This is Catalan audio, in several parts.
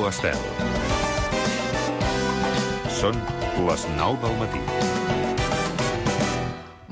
Ràdio Estel. Són les 9 del matí.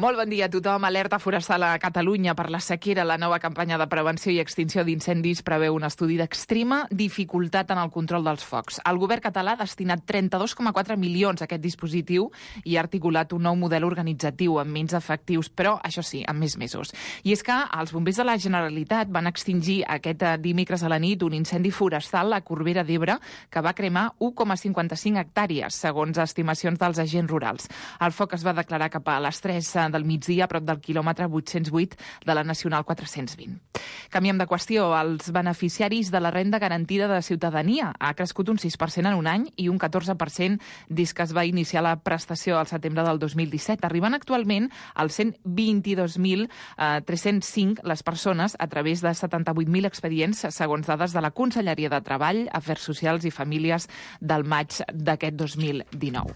Molt bon dia a tothom. Alerta forestal a Catalunya per la sequera. La nova campanya de prevenció i extinció d'incendis preveu un estudi d'extrema dificultat en el control dels focs. El govern català ha destinat 32,4 milions a aquest dispositiu i ha articulat un nou model organitzatiu amb menys efectius, però, això sí, amb més mesos. I és que els bombers de la Generalitat van extingir aquest dimecres a la nit un incendi forestal a Corbera d'Ebre que va cremar 1,55 hectàrees, segons estimacions dels agents rurals. El foc es va declarar cap a les 3 del migdia, a prop del quilòmetre 808 de la Nacional 420. Canviem de qüestió. Els beneficiaris de la renda garantida de ciutadania ha crescut un 6% en un any i un 14% des que es va iniciar la prestació al setembre del 2017, arribant actualment als 122.305 les persones a través de 78.000 expedients, segons dades de la Conselleria de Treball, Afers Socials i Famílies del maig d'aquest 2019.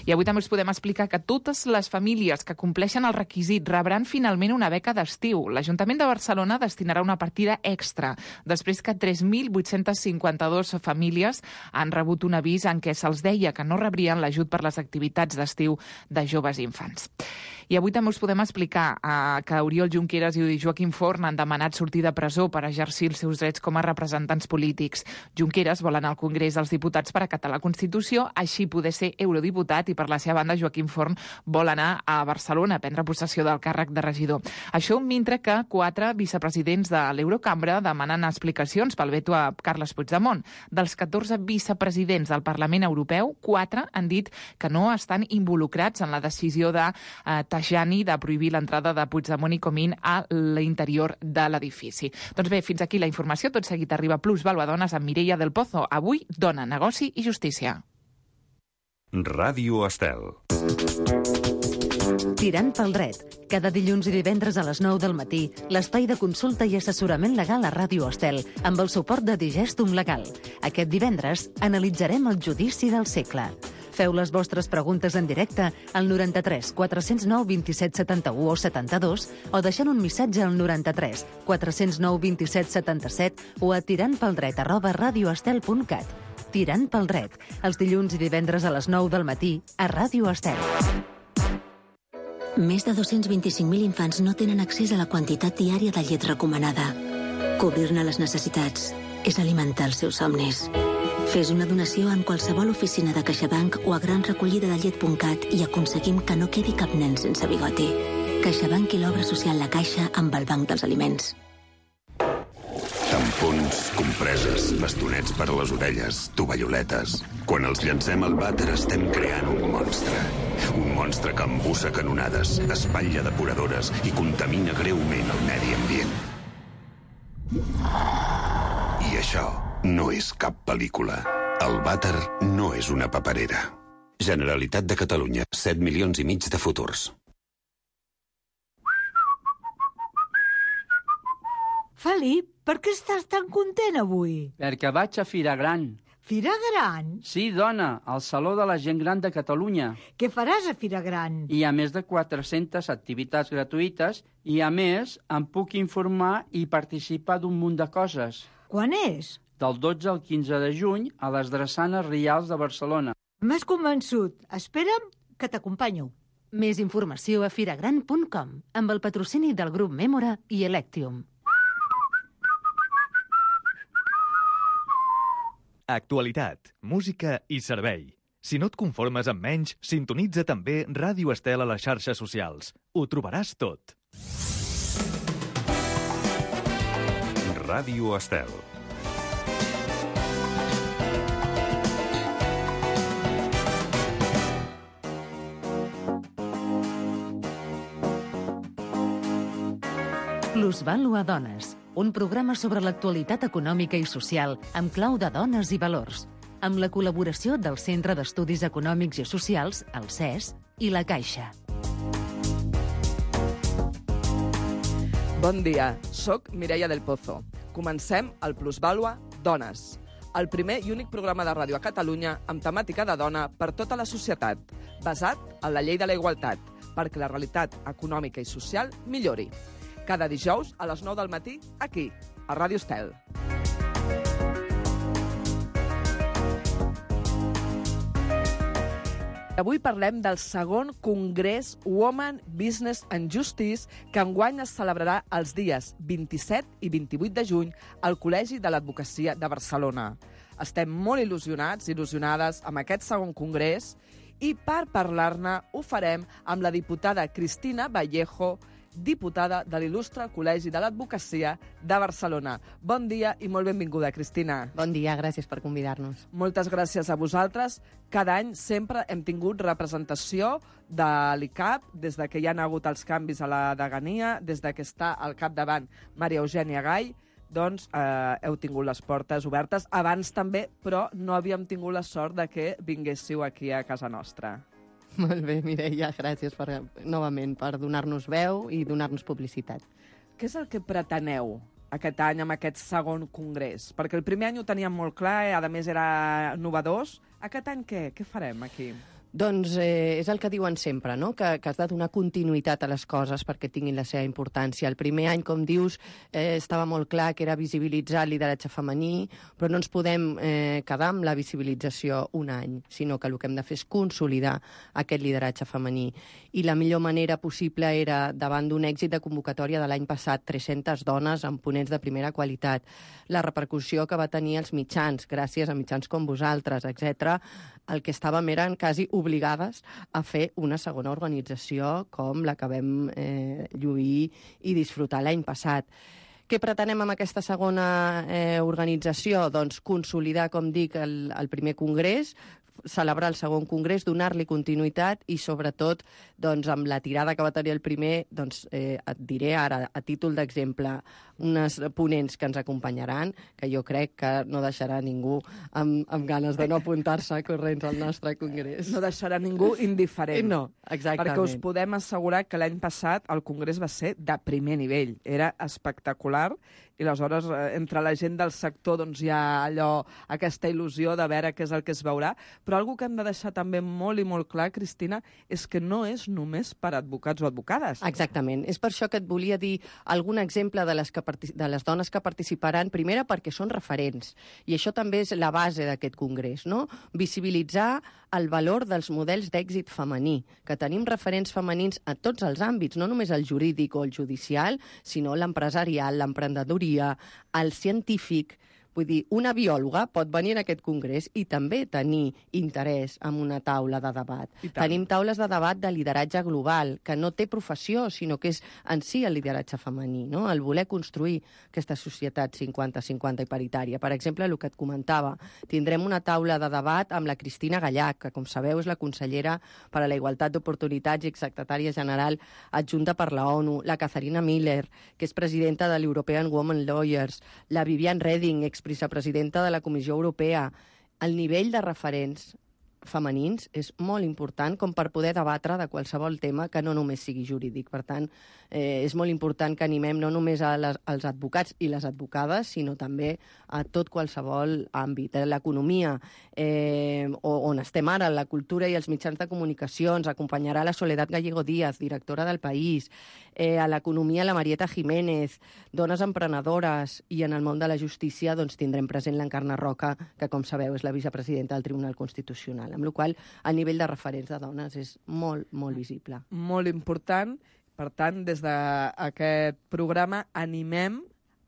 I avui també us podem explicar que totes les famílies que compleixen el requisit rebran finalment una beca d'estiu. L'Ajuntament de Barcelona destinarà una partida extra, després que 3.852 famílies han rebut un avís en què se'ls deia que no rebrien l'ajut per les activitats d'estiu de joves i infants. I avui també us podem explicar que Oriol Junqueras i Joaquim Forn han demanat sortir de presó per exercir els seus drets com a representants polítics. Junqueras vol anar al Congrés dels Diputats per acatar la Constitució, així poder ser eurodiputat, i per la seva banda Joaquim Forn vol anar a Barcelona a prendre possessió del càrrec de regidor. Això mentre que 4 vicepresidents de l'Eurocambra demanen explicacions pel veto a Carles Puigdemont. Dels 14 vicepresidents del Parlament Europeu, 4 han dit que no estan involucrats en la decisió de Tajani de prohibir l'entrada de Puigdemont i Comín a l'interior de l'edifici. Doncs bé, fins aquí la informació. Tot seguit arriba Plus Vàlua Dones amb Mireia del Pozo. Avui, dona, negoci i justícia. Ràdio Estel. Tirant pel dret. Cada dilluns i divendres a les 9 del matí, l'espai de consulta i assessorament legal a Ràdio Estel, amb el suport de Digestum Legal. Aquest divendres analitzarem el judici del segle. Feu les vostres preguntes en directe al 93 409 27 71 o 72 o deixant un missatge al 93 409 27 77 o a tirantpeldret@radioestel.cat. Tirant pel dret, els dilluns i divendres a les 9 del matí a Ràdio Estel. Més de 225.000 infants no tenen accés a la quantitat diària de llet recomanada. Cobrir-ne les necessitats és alimentar els seus somnis. Fes una donació en qualsevol oficina de CaixaBank o a granrecollidadellet.cat i aconseguim que no quedi cap nen sense bigoti. CaixaBank i l'obra social La Caixa amb el Banc dels Aliments. Tampons, compreses, bastonets per a les orelles, tovalloletes. Quan els llancem al vàter estem creant un monstre. Un monstre que embussa canonades, espatlla depuradores i contamina greument el medi ambient. I això no és cap pel·lícula. El vàter no és una paperera. Generalitat de Catalunya, 7,5 milions de futurs. Felip, per què estàs tan content avui? Perquè vaig a Fira Gran. Fira Gran? Sí, dona, al Saló de la Gent Gran de Catalunya. Què faràs a Fira Gran? Hi ha més de 400 activitats gratuïtes i, a més, em puc informar i participar d'un munt de coses. Quan és? Del 12 al 15 de juny a les Drassanes Rials de Barcelona. M'has convençut. Espera'm que t'acompanyo. Més informació a firagran.com amb el patrocini del grup Mémora i Electium. Actualitat, música i servei. Si no et conformes amb menys, sintonitza també Ràdio Estel a les xarxes socials. Ho trobaràs tot. Ràdio Estel. Plusvàlua Dones, un programa sobre l'actualitat econòmica i social amb clau de dones i valors, amb la col·laboració del Centre d'Estudis Econòmics i Socials, el CES, i la Caixa. Bon dia, soc Mireia del Pozo. Comencem el Plusvàlua Dones, el primer i únic programa de ràdio a Catalunya amb temàtica de dona per tota la societat, basat en la llei de la igualtat, perquè la realitat econòmica i social millori. Cada dijous a les 9 del matí, aquí, a Ràdio Estel. Avui parlem del segon Congrés Women, Business and Justice, que enguany es celebrarà els dies 27 i 28 de juny al Col·legi de l'Advocacia de Barcelona. Estem molt il·lusionats i il·lusionades amb aquest segon congrés i per parlar-ne ho farem amb la diputada Cristina Vallejo, diputada de l'il·lustre Col·legi de l'Advocacia de Barcelona. Bon dia i molt benvinguda, Cristina. Bon dia, gràcies per convidar-nos. Moltes gràcies a vosaltres. Cada any sempre hem tingut representació de l'ICAP, des de que hi ha hagut els canvis a la degania, des de que està al capdavant Maria Eugènia Gall, doncs heu tingut les portes obertes. Abans també, però no havíem tingut la sort de que vinguéssiu aquí a casa nostra. Molt bé, Mireia, gràcies novament per donar-nos veu i donar-nos publicitat. Què és el que preteneu aquest any amb aquest segon congrés? Perquè el primer any ho teníem molt clar, a més era novedós. Aquest any què? Què farem aquí? Doncs és el que diuen sempre, no? Que has de donar continuïtat a les coses perquè tinguin la seva importància. El primer any, com dius, estava molt clar que era visibilitzar el lideratge femení, però no ens podem quedar amb la visibilització un any, sinó que el que hem de fer és consolidar aquest lideratge femení. I la millor manera possible era, davant d'un èxit de convocatòria de l'any passat, 300 dones amb ponents de primera qualitat, la repercussió que va tenir els mitjans, gràcies a mitjans com vosaltres, etc., el que estàvem eren quasi obligades a fer una segona organització com la que vam lluir i disfrutar l'any passat. Què pretenem amb aquesta segona organització? Doncs consolidar, com dic, el primer congrés, celebrar el segon congrés, donar-li continuïtat i, sobretot, doncs, amb la tirada que va tenir el primer, doncs, et diré ara, a títol d'exemple, unes ponents que ens acompanyaran, que jo crec que no deixarà ningú amb ganes de no apuntar-se corrents al nostre congrés. No deixarà ningú indiferent. No, exactament. Perquè us podem assegurar que l'any passat el congrés va ser de primer nivell. Era espectacular i aleshores entre la gent del sector doncs, hi ha aquesta il·lusió de veure què és el que es veurà. Però una cosa que hem de deixar també molt i molt clar, Cristina, és que no és només per advocats o advocades. Exactament. És per això que et volia dir algun exemple de les dones que participaran, primera perquè són referents, i això també és la base d'aquest congrés, no? Visibilitzar el valor dels models d'èxit femení, que tenim referents femenins a tots els àmbits, no només el jurídic o el judicial, sinó l'empresarial, l'emprenedoria, el científic. Vull dir, una biòloga pot venir en aquest congrés i també tenir interès en una taula de debat. Tenim taules de debat de lideratge global, que no té professió, sinó que és en si el lideratge femení, no? El voler construir aquesta societat 50-50 i paritària. Per exemple, el que et comentava, tindrem una taula de debat amb la Cristina Gallac, que, com sabeu, és la consellera per a la igualtat d'oportunitats i secretària general adjunta per la ONU, la Katharina Miller, que és presidenta de l'European Women Lawyers, la Viviane Reding, vicepresidenta de la Comissió Europea. El nivell de referents femenins és molt important com per poder debatre de qualsevol tema que no només sigui jurídic. Per tant, és molt important que animem no només als advocats i les advocades, sinó també a tot qualsevol àmbit. L'economia, on estem ara, la cultura i els mitjans de comunicació, ens acompanyarà la Soledad Gallego Díaz, directora del País, a l'economia la Marieta Jiménez, dones emprenedores, i en el món de la justícia doncs, tindrem present l'Encarna Roca, que, com sabeu, és la vicepresidenta del Tribunal Constitucional, amb la qual cosa el nivell de referents de dones és molt, molt visible. Molt important. Per tant, des d'aquest programa animem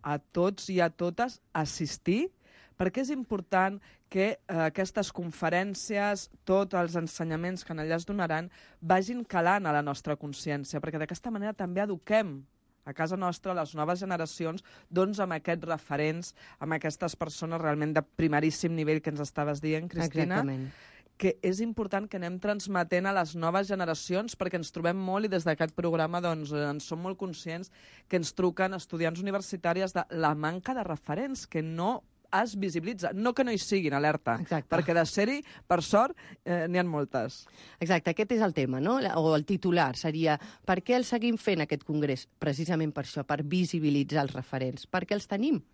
a tots i a totes a assistir, perquè és important que aquestes conferències, tots els ensenyaments que allà es donaran, vagin calant a la nostra consciència, perquè d'aquesta manera també eduquem a casa nostra, les noves generacions, doncs amb aquests referents, amb aquestes persones realment de primeríssim nivell que ens estaves dient, Cristina. Exactament. Que és important que anem transmetent a les noves generacions, perquè ens trobem molt, i des d'aquest programa doncs, en som molt conscients, que ens truquen estudiants universitàries de la manca de referents, que no es visibilitza. No que no hi siguin, alerta. Exacte. Perquè de ser-hi, per sort, n'hi ha moltes. Exacte, aquest és el tema, no? O el titular seria per què el seguim fent, aquest congrés? Precisament per això, per visibilitzar els referents. Perquè els tenim,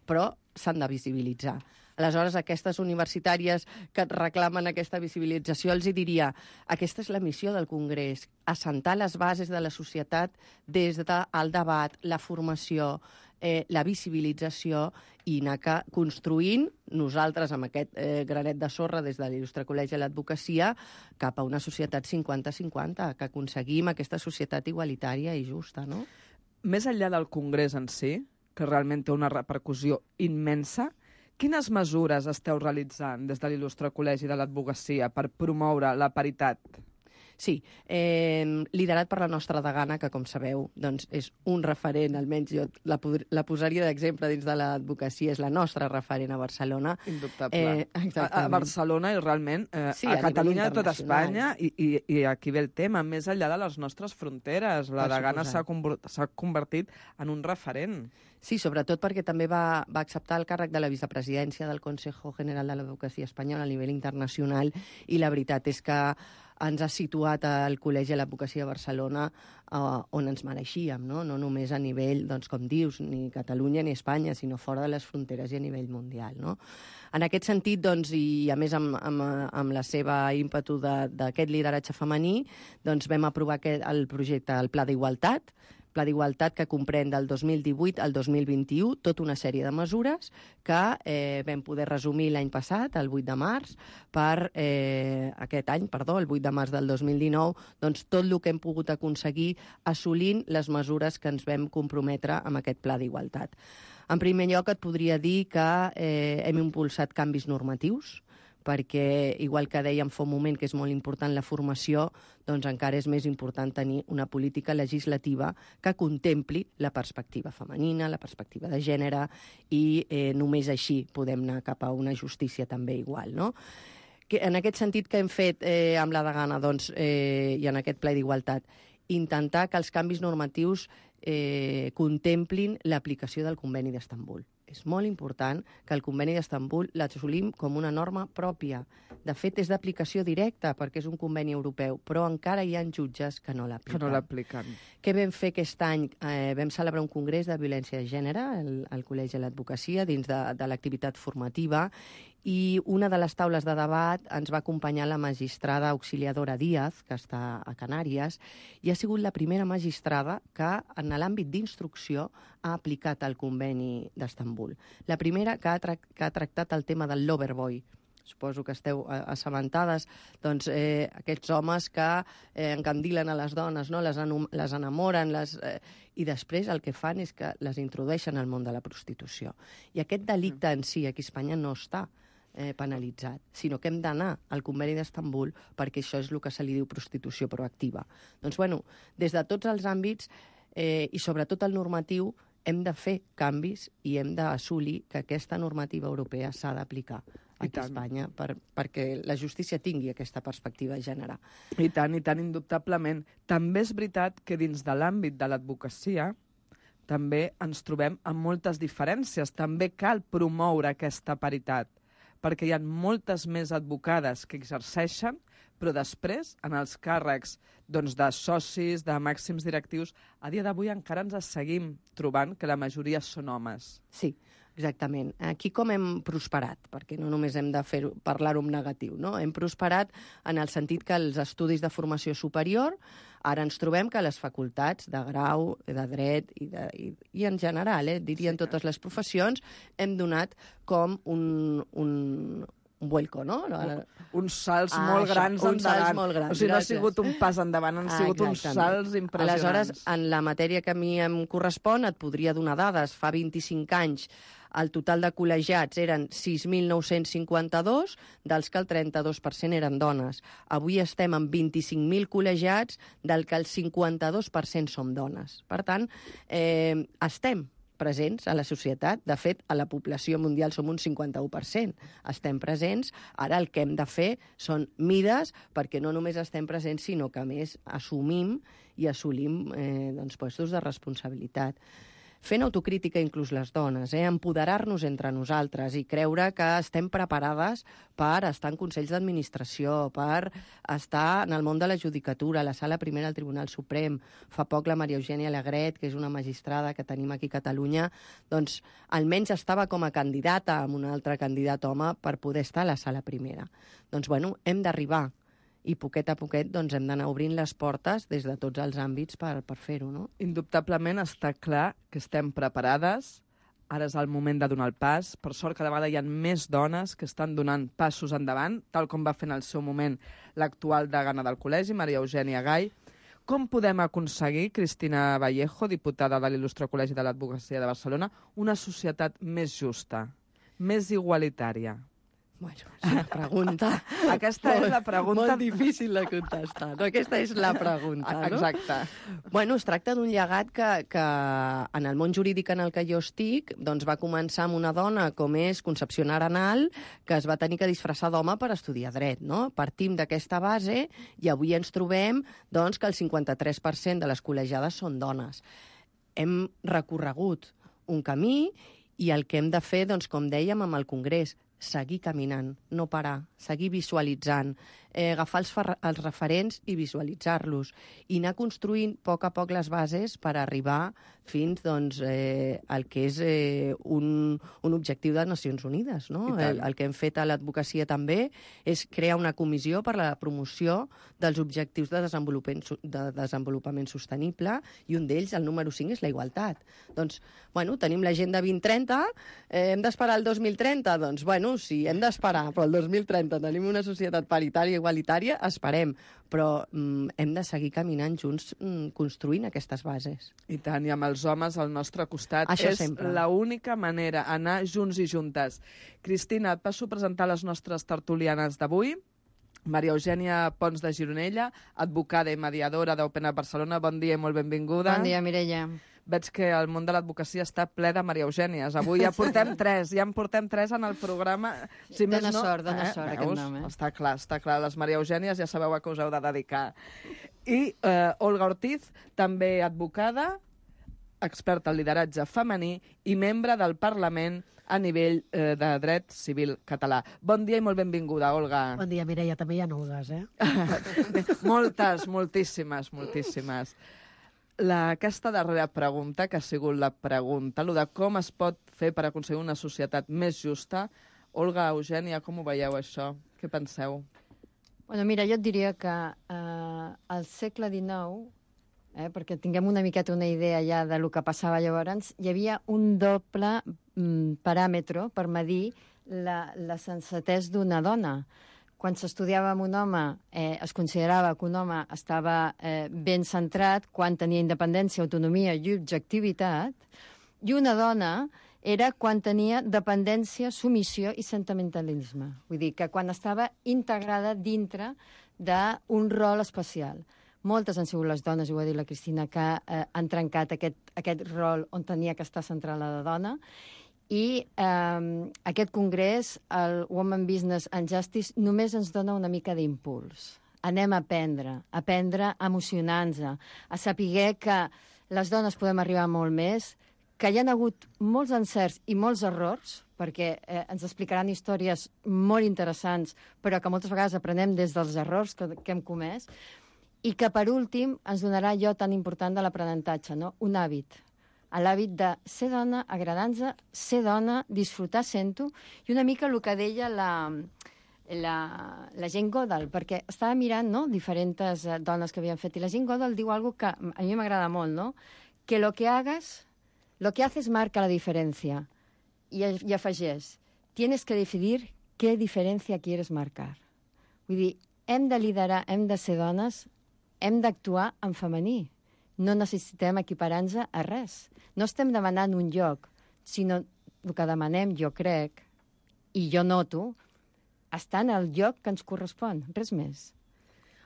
però s'han de visibilitzar. Aleshores, aquestes universitàries que reclamen aquesta visibilització, els hi diria, aquesta és la missió del Congrés, assentar les bases de la societat des del debat, la formació, la visibilització i anar construint nosaltres amb aquest granet de sorra des de l'Il·lustre Col·legi de l'Advocacia cap a una societat 50-50, que aconseguim aquesta societat igualitària i justa, no? Més enllà del Congrés en si, que realment té una repercussió immensa, quines mesures esteu realitzant des de l'Il·lustre Col·legi de l'Advocacia per promoure la paritat? Sí, liderat per la nostra degana, que, com sabeu, doncs és un referent, almenys jo la posaria d'exemple dins de l'advocacia, és la nostra referent a Barcelona. Indubtable. A Barcelona i realment a Catalunya, a tot Espanya, i aquí ve el tema, més enllà de les nostres fronteres. La degana s'ha convertit en un referent. Sí, sobretot perquè també va acceptar el càrrec de la vicepresidència del Consejo General de l'Advocacia Espanyola a nivell internacional, i la veritat és que ens ha situat al Col·legi de l'Advocacia de Barcelona on ens mereixíem, no? No només a nivell, doncs, com dius, ni Catalunya ni Espanya, sinó fora de les fronteres i a nivell mundial, no? En aquest sentit, doncs, i a més amb la seva ímpetu d'aquest lideratge femení, doncs vam aprovar el projecte, el Pla d'Igualtat, que comprèn del 2018 al 2021, tota una sèrie de mesures que vam poder resumir l'any passat, el 8 de març, el 8 de març del 2019, doncs tot el que hem pogut aconseguir assolint les mesures que ens vam comprometre amb aquest Pla d'Igualtat. En primer lloc, et podria dir que hem impulsat canvis normatius, perquè, igual que dèiem fa un moment que és molt important la formació, doncs encara és més important tenir una política legislativa que contempli la perspectiva femenina, la perspectiva de gènere, i només així podem anar cap a una justícia també igual, no? En aquest sentit, que hem fet amb la degana, doncs, i en aquest ple d'igualtat, intentar que els canvis normatius contemplin l'aplicació del Conveni d'Istanbul. És molt important que el Conveni d'Istanbul l'assolim com una norma pròpia. De fet, és d'aplicació directa, perquè és un conveni europeu, però encara hi ha jutges que no l'apliquen. Què vam fer aquest any? Vam celebrar un congrés de violència de gènere al Col·legi de l'Advocacia dins de l'activitat formativa, i una de les taules de debat ens va acompanyar la magistrada Auxiliadora Díaz, que està a Canàries, i ha sigut la primera magistrada que, en l'àmbit d'instrucció, ha aplicat el Conveni d'Istanbul. La primera que ha tractat el tema del loverboy. Suposo que esteu assabentades, doncs, aquests homes que encandilen a les dones, no? Les enamoren, i després el que fan és que les introdueixen al món de la prostitució. I aquest delicte en si aquí a Espanya no està penalitzat, sinó que hem d'anar al Conveni d'Istanbul perquè això és el que se li diu prostitució proactiva. Doncs, bueno, des de tots els àmbits i sobretot el normatiu, hem de fer canvis i hem d'assolir que aquesta normativa europea s'ha d'aplicar aquí a Espanya perquè la justícia tingui aquesta perspectiva de gènere. I tant, indubtablement. També és veritat que dins de l'àmbit de l'advocacia també ens trobem amb moltes diferències. També cal promoure aquesta paritat, perquè hi ha moltes més advocades que exerceixen, però després, en els càrrecs de socis, de màxims directius, a dia d'avui encara ens seguim trobant que la majoria són homes. Sí, exactament. Aquí com hem prosperat, perquè no només hem de parlar-ho en negatiu, no? Hem prosperat en el sentit que els estudis de formació superior, ara ens trobem que les facultats de grau, de dret i en general, diria en totes les professions, hem donat com un vuelco, no? Uns salts molt grans endavant. O sigui, no ha sigut un pas endavant, han sigut uns salts impressionants. Aleshores, en la matèria que a mi em correspon, et podria donar dades. Fa 25 anys el total de col·legiats eren 6.952, dels que el 32% eren dones. Avui estem amb 25.000 col·legiats, del que el 52% som dones. Per tant, estem presents a la societat. De fet, a la població mundial som un 51%. Estem presents. Ara el que hem de fer són mides, perquè no només estem presents, sinó que, a més, assumim i assolim puestos de responsabilitat. fent autocrítica inclús les dones, empoderar-nos entre nosaltres i creure que estem preparades per estar en consells d'administració, per estar en el món de la judicatura, a la sala primera del Tribunal Suprem. Fa poc la Maria Eugènia Alegret, que és una magistrada que tenim aquí a Catalunya, doncs almenys estava com a candidata amb un altre candidat home per poder estar a la sala primera. Doncs bueno, hem d'arribar i poquet a poquet doncs, hem d'anar obrint les portes des de tots els àmbits per fer-ho, no? Indubtablement està clar que estem preparades. Ara és el moment de donar el pas. Per sort, cada vegada hi ha més dones que estan donant passos endavant, tal com va fer en el seu moment l'actual degana del col·legi, Maria Eugènia Gai. Com podem aconseguir, Cristina Vallejo, diputada de l'Il·lustre Col·legi de l'Advocacia de Barcelona, una societat més justa, més igualitària? Bueno, és una pregunta... Aquesta és la pregunta... Molt difícil de contestar, no? Aquesta és la pregunta, no? Exacte. Bueno, es tracta d'un llegat que en el món jurídic en el que jo estic doncs va començar amb una dona com és Concepció Arenal, que es va tenir que disfressar d'home per estudiar dret, no? Partim d'aquesta base i avui ens trobem doncs, que el 53% de les col·legiades són dones. Hem recorregut un camí i el que hem de fer, doncs, com dèiem, amb el Congrés, seguir caminant, no parar, seguir visualitzant, agafar els referents i visualitzar-los i anar construint a poc les bases per arribar fins doncs, al que és un objectiu de Nacions Unides. No? El que hem fet a l'advocacia també és crear una comissió per a la promoció dels objectius de desenvolupament sostenible i un d'ells, el número 5, és la igualtat. Doncs, bueno, tenim l'agenda 2030, hem d'esperar el 2030? Doncs, bueno, sí, hem d'esperar, però el 2030 tenim una societat paritària i igualitària, esperem, però hem de seguir caminant junts construint aquestes bases. I tant, i amb els homes al nostre costat. Això és sempre. l'única manera, anar junts i juntes. Cristina, et passo a presentar les nostres tertulianes d'avui. Maria Eugènia Pons de Gironella, advocada i mediadora d'Open Up Barcelona. Bon dia i molt benvinguda. Bon dia, Mireia. Veig que el món de l'advocacia està ple de Maria Eugènies. Avui ja portem tres, en el programa. Si dona sort aquest nom, Està clar. Les Maria Eugènies ja sabeu a què us heu de dedicar. I Olga Ortiz, també advocada, experta en lideratge femení i membre del Parlament a nivell de dret civil català. Bon dia i molt benvinguda, Olga. Bon dia, Mireia. També hi ha Olgues, Moltes, moltíssimes. Aquesta darrera pregunta, que ha sigut la pregunta, de com es pot fer per aconseguir una societat més justa. Olga, Eugènia, com ho veieu, això? Què penseu? Bueno, mira, jo et diria que al segle XIX, perquè tinguem una miqueta una idea ja de lo que passava llavors, hi havia un doble paràmetre per medir la sensatesa d'una dona. Quan s'estudiava amb un home, es considerava que un home estava ben centrat quan tenia independència, autonomia i objectivitat, i una dona era quan tenia dependència, submissió i sentimentalisme. Vull dir que quan estava integrada dintre d'un rol especial. Moltes han sigut les dones, ho ha dit la Cristina, que han trencat aquest rol on tenia que estar centrada la dona. I aquest congrés, el Women Business and Justice, només ens dona una mica d'impuls. Anem a aprendre emocionant-nos, a saber que les dones podem arribar molt més, que hi ha hagut molts encerts i molts errors, perquè ens explicaran històries molt interessants, però que moltes vegades aprenem des dels errors que hem comès, i que, per últim, ens donarà allò tan important de l'aprenentatge, no? Un hàbit. L'hàbit de ser dona, agradar-nos, ser dona, disfrutar sent-ho, i una mica el que deia la Jane Goodall, perquè estava mirant diferents dones que havien fet, i la Jane Goodall diu alguna cosa que a mi m'agrada molt, no? Que lo que haces marca la diferència. I afegeix, tienes que decidir qué diferencia quieres marcar. Vull dir, hem de liderar, hem de ser dones, hem d'actuar en femení. No necessitem equiparar-nos a res. No estem demanant un lloc, sinó el que demanem, jo crec, i jo noto, estar en el lloc que ens correspon, res més.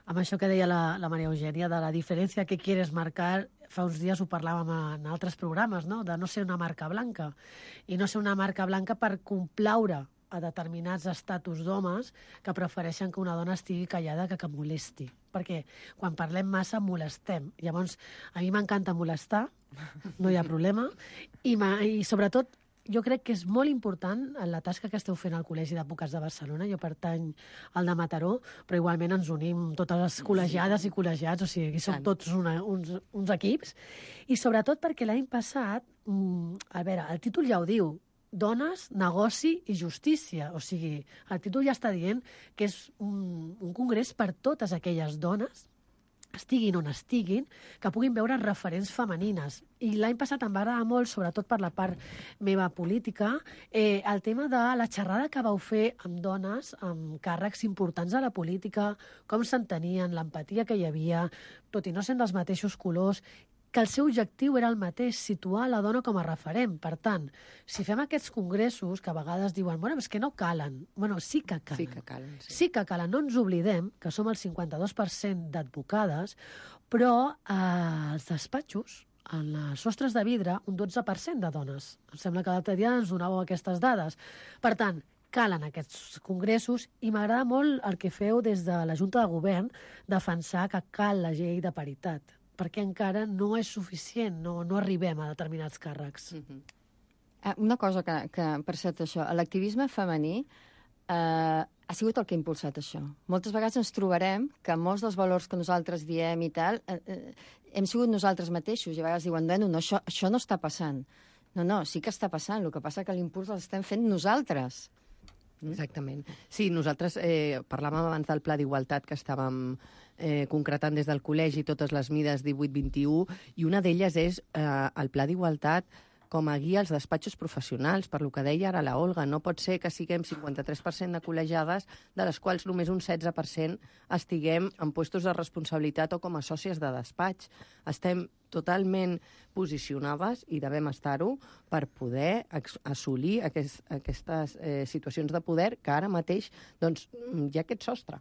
Amb això que deia la Maria Eugènia, de la diferència que quieres marcar, fa uns dies ho parlàvem en altres programes, no? De no ser una marca blanca. I no ser una marca blanca per complaure a determinats estatus d'homes que prefereixen que una dona estigui callada que molesti. perquè quan parlem massa molestem. Llavors, a mi m'encanta molestar, no hi ha problema, i sobretot jo crec que és molt important la tasca que esteu fent al Col·legi d'Advocats de Barcelona. Jo pertany al de Mataró, però igualment ens unim totes les col·legiades i col·legiats, o sigui, som tots uns equips. I sobretot perquè l'any passat, a veure, el títol ja ho diu, dones, negoci i justícia. O sigui, el títol ja està dient que és un congrés per totes aquelles dones, estiguin on estiguin, que puguin veure referents femenines. I l'any passat em va agradar molt, sobretot per la part meva política, el tema de la xerrada que vau fer amb dones, amb càrrecs importants a la política, com s'entenien, l'empatia que hi havia, tot i no sent dels mateixos colors, que el seu objectiu era el mateix, situar la dona com a referent. Per tant, si fem aquests congressos, que a vegades diuen, bueno, és que no calen. Bueno, sí que calen. Sí que calen, sí. Sí que calen. No ens oblidem que som el 52% d'advocades, però als despatxos, en les sostres de vidre, un 12% de dones. Em sembla que l'altre dia ens donàveu aquestes dades. Per tant, calen aquests congressos i m'agrada molt el que feu des de la Junta de Govern, defensar que cal la llei de paritat, perquè encara no és suficient, no arribem a determinats càrrecs. Una cosa que per cert, això, l'activisme femení ha sigut el que ha impulsat això. Moltes vegades ens trobarem que molts dels valors que nosaltres diem i tal, hem sigut nosaltres mateixos, i a vegades diuen, bueno, no, això no està passant. No, sí que està passant, el que passa que l'impuls l'estem fent nosaltres. Exactament. Sí, nosaltres parlàvem abans del Pla d'Igualtat que estàvem concretant des del col·legi totes les mides 18-21, i una d'elles és el Pla d'Igualtat com a guia als despatxos professionals, per lo que deia ara la Olga. No pot ser que siguem 53% de col·legiades, de les quals només un 16% estiguem en puestos de responsabilitat o com a sòcies de despatx. Estem totalment posicionades, i devem estar-ho, per poder assolir aquestes situacions de poder que ara mateix doncs, hi ha aquest sostre.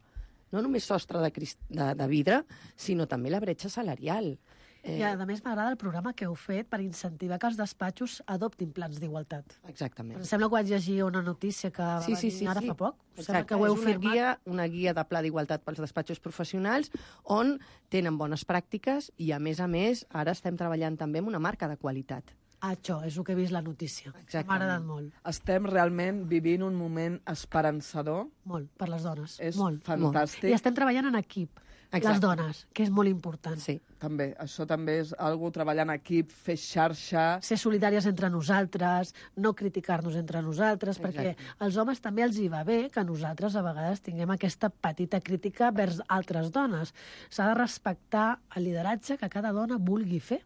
No només sostre de vidre, sinó també la bretxa salarial. I a més m'agrada el programa que heu fet per incentivar que els despatxos adoptin plans d'igualtat. Exactament. Em sembla que vaig llegir una notícia que va venir ara fa poc. Exacte, que ho heu firmat. Una guia de pla d'igualtat pels despatxos professionals on tenen bones pràctiques i, a més, ara estem treballant també amb una marca de qualitat. Això és el que he vist la notícia. M'ha agradat molt. Estem realment vivint un moment esperançador. Molt, per les dones. És molt, fantàstic. Molt. I estem treballant en equip. Exacte. Les dones, que és molt important. Sí. També, això també és algo, treballar en equip, fer xarxa... Ser solidàries entre nosaltres, no criticar-nos entre nosaltres, perquè als homes també els hi va bé que nosaltres a vegades tinguem aquesta petita crítica vers altres dones. S'ha de respectar el lideratge que cada dona vulgui fer,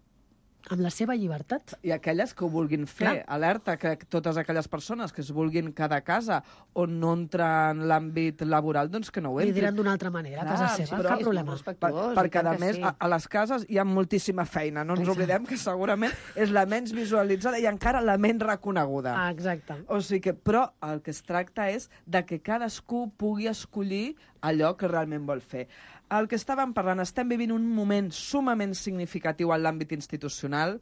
amb la seva llibertat. I aquelles que ho vulguin fer. Clar. Alerta que totes aquelles persones que es vulguin quedar a casa on no entra en l'àmbit laboral, doncs que no ho entrin. Li diran d'una altra manera, a casa seva, cap problema. Perquè, a més, a les cases hi ha moltíssima feina. No ens oblidem que segurament és la menys visualitzada i encara la menys reconeguda. Exacte. O sigui que, però el que es tracta és de que cadascú pugui escollir allò que realment vol fer. El que estàvem parlant, estem vivint un moment sumament significatiu en l'àmbit institucional.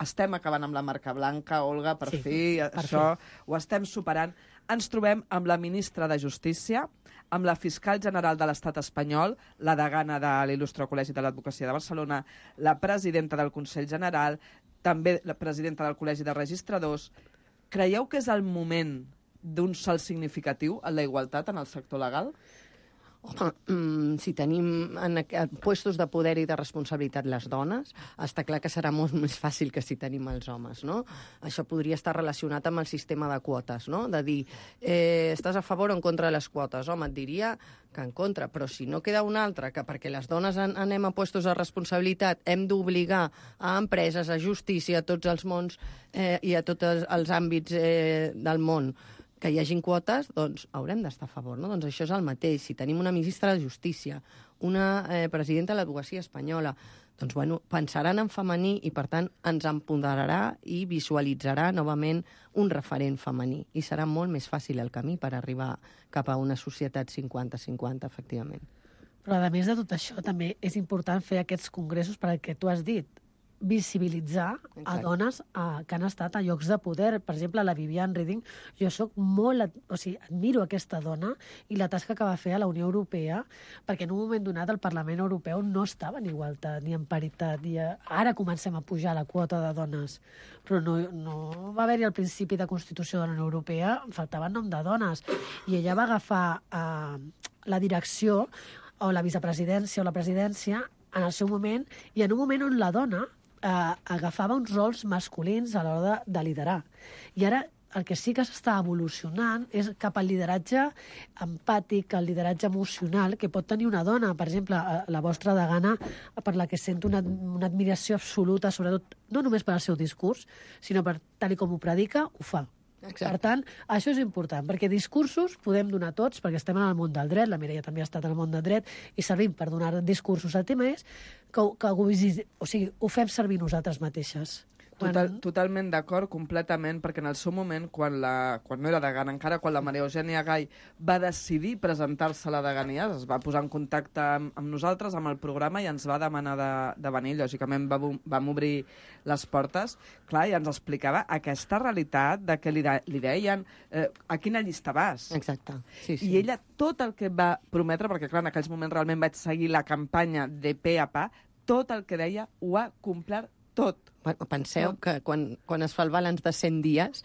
Estem acabant amb la marca blanca, Olga, per fi, això ho estem superant. Ens trobem amb la ministra de Justícia, amb la fiscal general de l'Estat espanyol, la degana de l'Il·lustre Col·legi de l'Advocacia de Barcelona, la presidenta del Consell General, també la presidenta del Col·legi de Registradors. Creieu que és el moment d'un salt significatiu en la igualtat en el sector legal? Home, si tenim en puestos de poder i de responsabilitat les dones, està clar que serà molt més fàcil que si tenim els homes, no? Això podria estar relacionat amb el sistema de quotes, no? De dir, estàs a favor o en contra de les quotes? Home, et diria que en contra, però si no queda un altre, que perquè les dones anem a puestos de responsabilitat hem d'obligar a empreses, a justícia, a tots els mons i a tots els àmbits del món que hi hagin quotes, doncs haurem d'estar a favor, no? Doncs això és el mateix. Si tenim una ministra de Justícia, una presidenta de l'Advocacia espanyola, doncs, bueno, pensaran en femení i, per tant, ens empoderarà i visualitzarà novament un referent femení. I serà molt més fàcil el camí per arribar cap a una societat 50-50, efectivament. Però, a més de tot això, també és important fer aquests congressos per al que tu has dit, visibilitzar a dones que han estat a llocs de poder. Per exemple, la Viviane Reding, jo admiro aquesta dona i la tasca que va fer a la Unió Europea, perquè en un moment donat el Parlament Europeu no estava en igualtat ni en paritat. Ara comencem a pujar la quota de dones, però no va haver-hi al principi de Constitució de la Unió Europea, faltava nom de dones. I ella va agafar la direcció o la vicepresidència o la presidència en el seu moment, i en un moment on la dona agafava uns rols masculins a l'hora de liderar. I ara el que sí que s'està evolucionant és cap al lideratge empàtic, al lideratge emocional que pot tenir una dona. Per exemple, la vostra degana, per la que sento una admiració absoluta, sobretot no només per al seu discurs, sinó per tal com ho predica, ho fa. Exacte. Per tant, això és important, perquè discursos podem donar tots, perquè estem en el món del dret, la Mireia també ha estat en el món del dret, i servim per donar discursos. El tema és que ho fem servir nosaltres mateixes. Totalment d'acord, completament, perquè en el seu moment, quan no era degana encara, quan la Maria Eugènia Gai va decidir presentar-se a la degania, es va posar en contacte amb nosaltres, amb el programa, i ens va demanar de venir. Lògicament vam obrir les portes, clar, i ens explicava aquesta realitat de que li deien a quina llista vas. Exacte. Sí. I ella tot el que va prometre, perquè clar, en aquells moments realment vaig seguir la campanya de pe a pa, tot el que deia ho ha complert tot. Penseu que quan es fa el balanç de 100 dies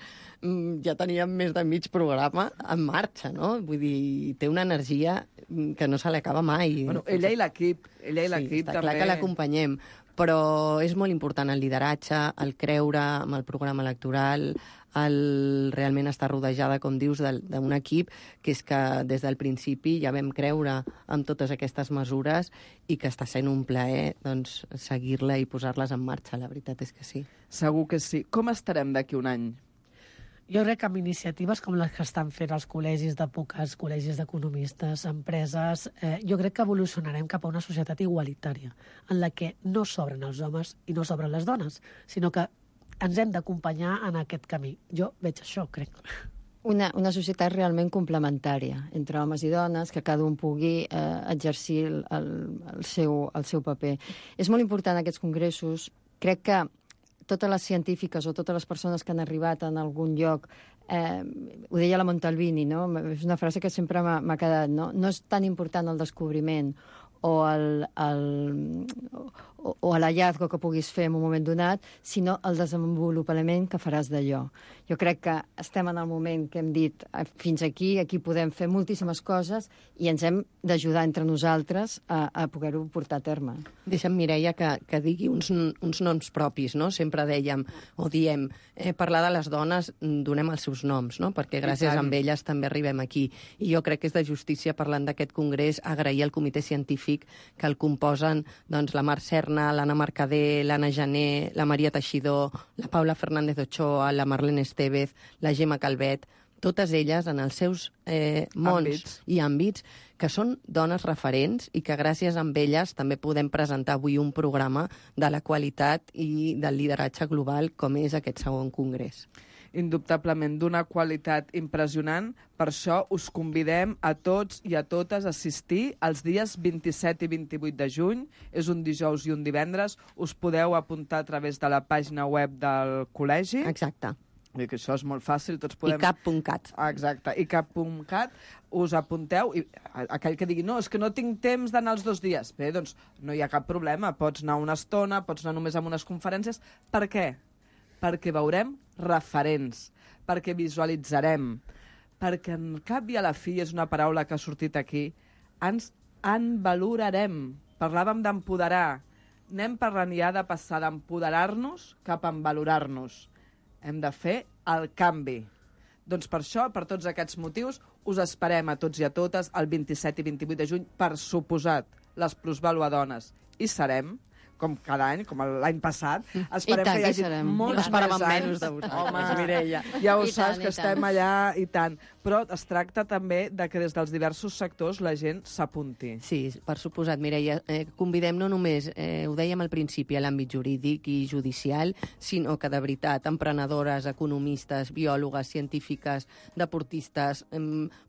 ja teníem més de mig programa en marxa, no? Vull dir, té una energia que no se li acaba mai. Bueno, ella i l'equip també. Està clar que l'acompanyem, però és molt important el lideratge, el creure en el programa electoral, el realment estar rodejada, com dius, d'un equip que és que des del principi ja vam creure en totes aquestes mesures i que està sent un plaer doncs, seguir-la i posar-les en marxa, la veritat és que sí. Segur que sí. Com estarem d'aquí un any? Jo crec que amb iniciatives com les que estan fent els col·legis d'advocats, col·legis d'economistes, empreses, jo crec que evolucionarem cap a una societat igualitària, en la que no sobren els homes i no sobren les dones, sinó que ens hem d'acompanyar en aquest camí. Jo veig això, crec. Una societat realment complementària entre homes i dones, que cada un pugui exercir el seu paper. És molt important aquests congressos. Crec que totes les científiques o totes les persones que han arribat en algun lloc, ho deia la Montalbini, no? És una frase que sempre m'ha quedat, no? No és tan important el descobriment o l'hallazgo que puguis fer en un moment donat, sinó el desenvolupament que faràs d'allò. Jo crec que estem en el moment que hem dit fins aquí podem fer moltíssimes coses i ens hem d'ajudar entre nosaltres a poder-ho portar a terme. Deixa'm, Mireia, que digui uns noms propis, no? Sempre dèiem o diem, parlar de les dones donem els seus noms, no? Perquè gràcies a elles també arribem aquí. I jo crec que és de justícia, parlant d'aquest congrés, agrair al comitè científic que el composen doncs, la Mar Serna, l'Anna Mercader, l'Anna Jané, la Maria Teixidor, la Paula Fernández Ochoa, la Marlene Estevez, la Gemma Calvet, totes elles en els seus mons i àmbits, que són dones referents i que gràcies a elles també podem presentar avui un programa de la qualitat i del lideratge global com és aquest segon congrés. Indubtablement, d'una qualitat impressionant. Per això us convidem a tots i a totes a assistir els dies 27 i 28 de juny. És un dijous i un divendres. Us podeu apuntar a través de la pàgina web del col·legi. Exacte. I que això és molt fàcil, tots podem... ICAP.cat. Exacte, ICAP.cat, us apunteu, i aquell que digui, no, és que no tinc temps d'anar els 2 dies. Bé, doncs no hi ha cap problema, pots anar una estona, pots anar només a unes conferències. Per què? Perquè veurem referents, perquè visualitzarem, perquè en cap i a la fi, és una paraula que ha sortit aquí, ens envalorarem. Parlàvem d'empoderar. Anem parlant ja de passar d'empoderar-nos cap a envalorar-nos. Hem de fer el canvi. Doncs per això, per tots aquests motius, us esperem a tots i a totes el 27 i 28 de juny, per suposat, les Plusvàlua Dones. I serem, com cada any, com l'any passat, esperem que hi hagi molts més anys. Menys de vosaltres, Mireia. Ja ho saps, que estem allà i tant. Però es tracta també de que des dels diversos sectors la gent s'apunti. Sí, per suposat, Mireia. Convidem no només, ho dèiem al principi, a l'àmbit jurídic i judicial, sinó que de veritat, emprenedores, economistes, biòlogues, científiques, deportistes,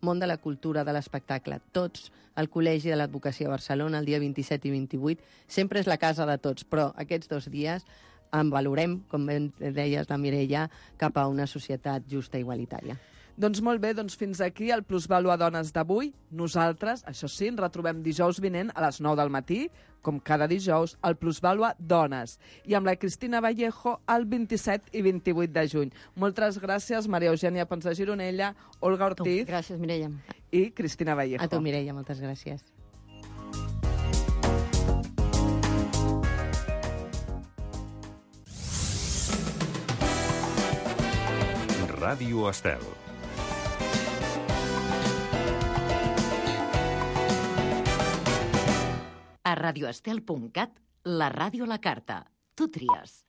món de la cultura, de l'espectacle, tots al Col·legi de l'Advocacia de Barcelona, el dia 27 i 28. Sempre és la casa de tots, però aquests 2 dies en valorem, com ben deies la Mireia, cap a una societat justa i igualitària. Doncs molt bé, doncs fins aquí el Plusvàlua Dones d'avui. Nosaltres, això sí, ens retrobem dijous vinent a les 9 del matí, com cada dijous, al Plusvàlua Dones. I amb la Cristina Vallejo el 27 i 28 de juny. Moltes gràcies, Maria Eugènia Pons de Gironella, Olga Ortiz... Gràcies, Mireia. I Cristina Vallejo. A tu, Mireia, moltes gràcies. Ràdio Estel. A radioestel.cat, la ràdio a la carta. Tu tries.